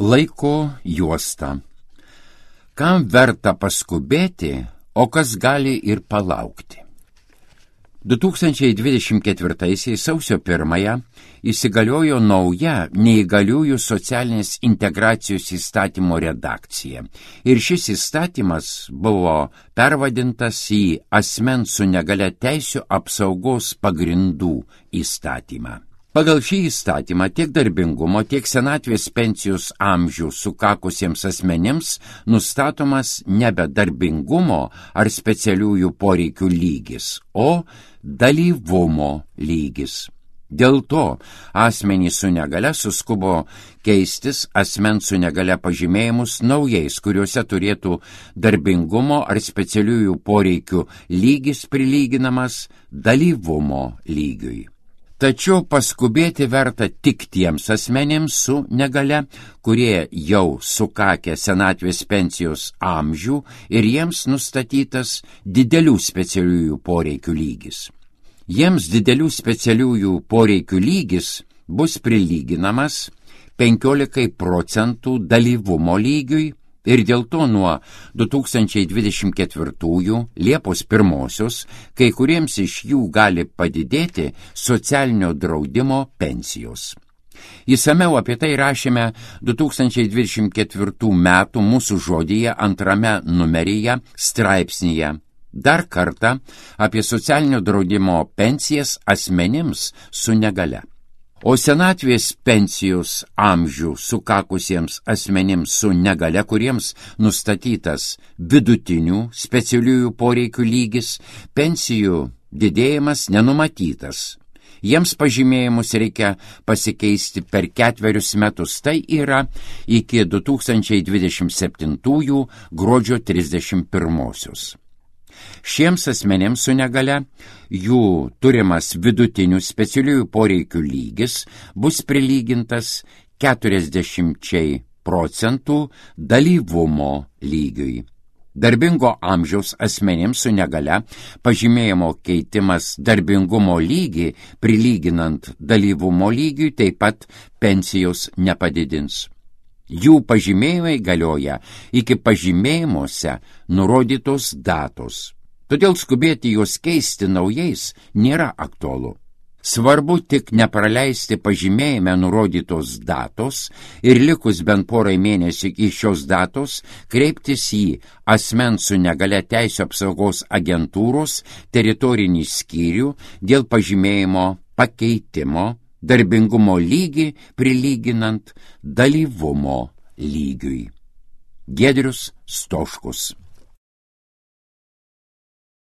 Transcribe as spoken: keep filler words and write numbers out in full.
Laiko juosta. Kam verta paskubėti, o kas gali ir palaukti? du tūkstančiai dvidešimt ketvirtaisiais sausio pirmąją įsigaliojo nauja neįgaliųjų socialinės integracijos įstatymo redakcija. Ir šis įstatymas buvo pervadintas į asmens su negalia teisių apsaugos pagrindų įstatymą. Pagal šį įstatymą tiek darbingumo, tiek senatvės pensijos amžių sukakusiems asmenims nustatomas nebe darbingumo ar specialiųjų poreikių lygis, o dalyvumo lygis. Dėl to asmenys su negalia suskubo keistis asmens su negalia pažymėjimus naujais, kuriuose turėtų darbingumo ar specialiųjų poreikių lygis prilyginamas dalyvumo lygiui. Tačiau paskubėti verta tik tiems asmenėms su negalia, kurie jau sukakę senatvės pensijos amžių ir jiems nustatytas didelių specialiųjų poreikių lygis. Jiems didelių specialiųjų poreikių lygis bus prilyginamas penkiolikai procentų dalyvumo lygiui ir dėl to nuo du tūkstančiai dvidešimt ketvirtųjų Liepos pirmosios kai kuriems iš jų gali padidėti socialinio draudimo pensijos. Įsamiau apie tai rašėme du tūkstančiai dvidešimt ketvirtų metų mūsų žodyje antrame numeryje straipsnyje. Dar kartą apie socialinio draudimo pensijas asmenims su negalia. O senatvės pensijos amžių sukakusiems asmenims su negalia, kuriems nustatytas vidutinių specialiųjų poreikių lygis, pensijų didėjimas nenumatytas. Jiems pažymėjimus reikia pasikeisti per ketverius metus, tai yra iki du tūkstančiai dvidešimt septintųjų gruodžio trisdešimt pirmosios. Šiems asmenėms su negalia jų turimas vidutinių specialiųjų poreikių lygis bus prilygintas keturiasdešimčiai procentų dalyvumo lygiui. Darbingo amžiaus asmenėms su negalia pažymėjimo keitimas darbingumo lygį prilyginant dalyvumo lygiui taip pat pensijos nepadidins. Jų pažymėjimai galioja iki pažymėjimuose nurodytos datos. Todėl skubėti juos keisti naujais nėra aktualu. Svarbu tik nepraleisti pažymėjime nurodytos datos ir likus bent porai mėnesių iki šios datos kreiptis į asmens su negalia teisių apsaugos agentūros teritorinį skyrių dėl pažymėjimo pakeitimo darbingumo lygį prilyginant dalyvumo lygiui. Giedrius Stoškus.